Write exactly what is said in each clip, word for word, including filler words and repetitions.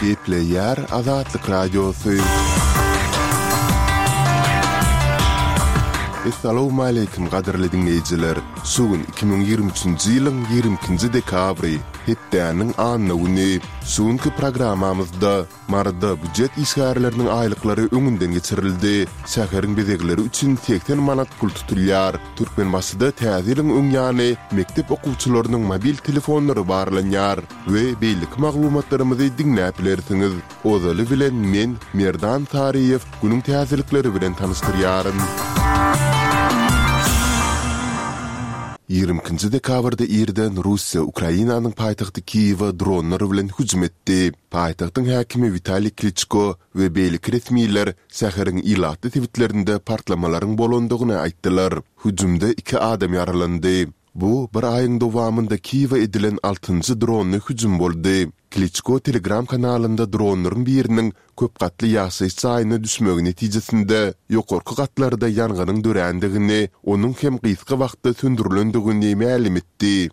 Gepleýär Azatlyk Radiosy. Essalawmaleýkim gadyrly diňleýjiler! Şu gün iki müň ýigrimi üçünji ýylyň ýigrimi ikinji dekabry, hepdäniň anna güni. Şu günki programmamyzda Maryda býujet işgärleriniň aýlyklary öňünden geçirildi, şäheriň bezegleri üçin segsen manat pul tutulýar, Türkmenbaşyda Täze ýylyň öň ýany mekdep okuwçylarynyň mobil telefonlary barlanýar we beýleki maglumatlarymyzy diňläp bilersiňiz. Ozaly bilen men, Merdan Saryýew, günüň täzelikleri bilen tanyşdyrýaryn. Ýigrimi ikinji dekabrda irden Russiýa Ukrainanyň paýtagty Kiýewe dronlar bilen hüjüm etdi. Paýtagtyň häkimi Witaliý Kliçko we beýleki resmiler şäheriň ilatly sebitlerinde partlamalaryň bolandygyny aýtdylar. Hüjümde iki adam ýaralandy. Bu bir aýyň dowamynda Kiýewe edilen altynjy dronly hüjüm boldy. Kliçko Telegram kanalynda dronlaryň biriniň köp gatly ýaşaýyş jaýyna düşmegi netijesinde ýokarky gatlarda ýangynyň dörändigini, onuň hem gysga wagtda söndürilendigini mälim etdi.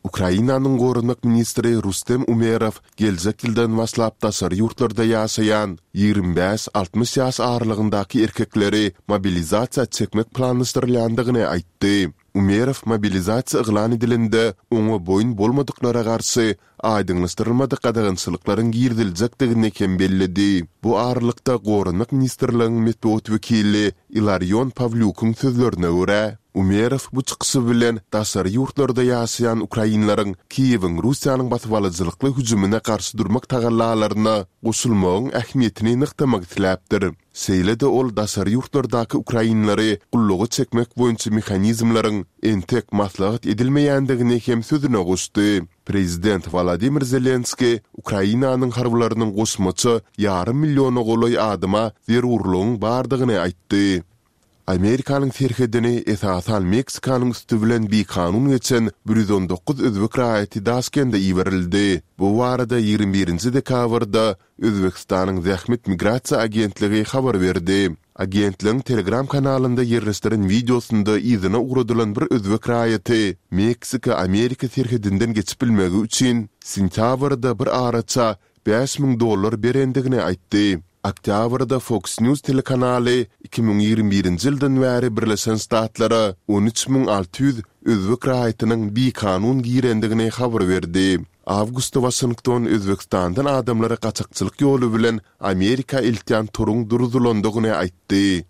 Ukrainanyň goranmak ministri Rustem Umerow geljek ýyldan başlap daşary ýurtlarda ýaşaýan ýigrimi bäş, altmyş ýaş aralygyndaky erkekleri mobilizasiýa çekmek planlaşdyrylýandygyny aýtdy. Umerow mobilizasiýa yglan edilende oňa boýun bolmadyklara garşy aýdyňlaşdyrylmadyk gadagançylyklaryň giriziljekdigini hem belledi. Bu aralykda Goranmak ministrligiň metbugat wekili Ilarion Pawlýukyň sözlerine görä, Umerow bu çykyşy bilen daşary ýurtlarda ýaşaýan ukrainleriň Kiýewiň Russiýanyň basybalyjylykly hüjümine garşy durmak tagallalaryna goşulmagyň ähmiýetini nygtamak isläpdir. Şeýle-de ol daşary ýurtlardaky ukrainleri gulluga çekmek boýunça mehanizmleriň entek maslahat edilmeýändigini hem sözüne goşdy. Prezident Wolodymyr Zelenskiý Ukrainanyň harbylarynyň goşmaça ýarym milliona golaý adama zerurlygyň bardygyny aýtdy. Amerikanyň serhedini esasan Meksikanyň üsti bilen bikanun geçen bir ýüz on dokuz özbek raýaty Daşkende iberildi. Bu barada ýigrimi birinji dekabrda Özbegistanyň Zähmet migrasiýa agentligi habar berdi. Agentligiň Telegram kanalynda ýerleşdiren wideosynda yzyna ugradylan bir özbek raýaty Meksika-Amerika serhedinden geçip bilmegi üçin sentýabrda bir araça bäş müň dollar berendigini aýtdy. Oktýabrda Fox News telekanaly iki müň ýigrimi birinji ýyldan bäri Birleşen Ştatlara on üç müň alty ýüz özbek raýatynyň bikanun girendigini habar berdi. Awgustda Waşington Özbegistandan adamlary gaçakçylyk ýoly bilen Amerika eltýän toruň duruzylandygyny aýtdy.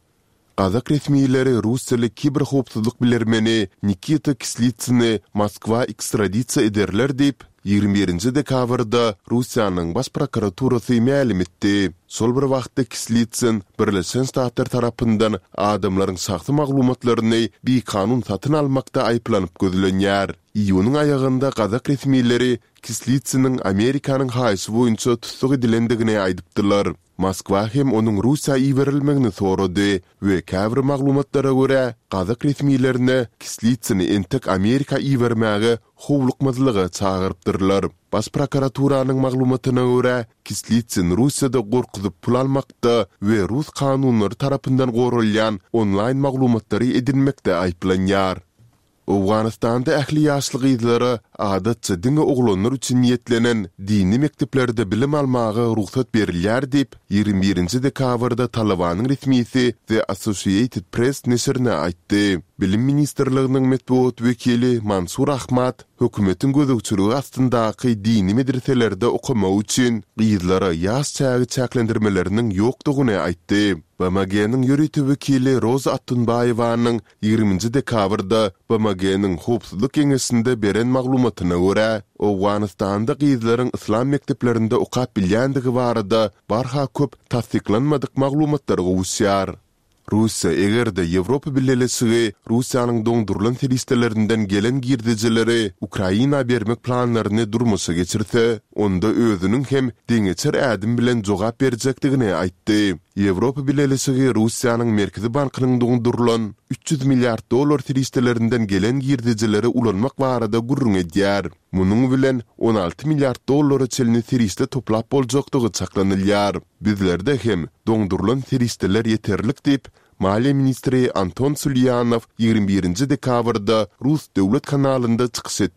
Gazak resmileri russiýaly kiberhowpsuzlyk bilermeni Nikita Kislitsyny Moskwa ekstradisiýa ederler diýip, ýigrimi birinji dekabrda Russiýanyň Baş prokuraturasy mälim etdi. Şol bir wagtda Kislitsyn Birleşen Ştatlar tarapyndan adamlaryň şahsy maglumatlaryny bikanun satyn almakda aýyplanyp gözlenýär. Iýunyň aýagynda gazak resmileri Kislitsynyň Amerikanyň haýyşy boýunça tussag edilendigini aýdypdylar. Moskwa hem onuň Russiýa iberilmegini sorady we käbir maglumatlara görä, gazak resmilerine Kislitsyny entek Amerika ibermäge howlukmazlyga çagyrypdyrlar. Baş prokuraturanyň maglumatyna görä, Kislitsyn Russiýada gorkuzyp pul almakda we rus kanunlary tarapyndan goralýan onlaýn maglumatlary edinmekde aýyplanýar. Owganystanda ähli ýaşly gyzlara adatça diňe oglanlar üçin niýetlenen dini mekdeplerde bilim almaga rugsat berilýär diýip, ýigrimi birinji dekabrda Talybanyň resmisi The Associated Press neşirine aýtdy. Bilim ministrliginiň metbugat wekili Mansur Ahmad hökümetiň gözegçiligi astyndaky dini medreselerde okamak üçin gyzlara ýaş çägi çäklendirmeleriniň ýokdugyny aýtdy. BMG-niň ýörite wekili Roza Attunbaýewanyň Ýigriminji dekabrda BMG-niň Howpsuzlyk Geňeşinde beren maglumatyna görä, Owganystanda gyzlaryň yslam mekdeplerinde okap bilýändigi barada barha köp tassyklanmadyk maglumatlar gowuşýar. Russiýa eger-de Ýewropa Bileleşigi Russiýanyň doňdurylan serişdelerinden gelen girdejileri Ukraina bermek planlaryny durmuşa geçirse, onda özüniň hem deňeçer ädim bilen jogap berjekdigini aýtdy. Ýewropa Bileleşigi Russiýanyň Merkezi bankynyň doňdurylan üç ýüz milliard dollar serişdelerinden gelen girdejileri ulanmak barada gürrüň edýär. Munuň bilen on alty milliard dollara çenli serişde toplap boljakdygy çaklanylýar. Bizlerde hem doňdurylan serişdeler ýeterlik diýip, maliýe ministri Anton Sulýanow ýigrimi birinji dekabrda rus döwlet kanalynda çykyş etdi.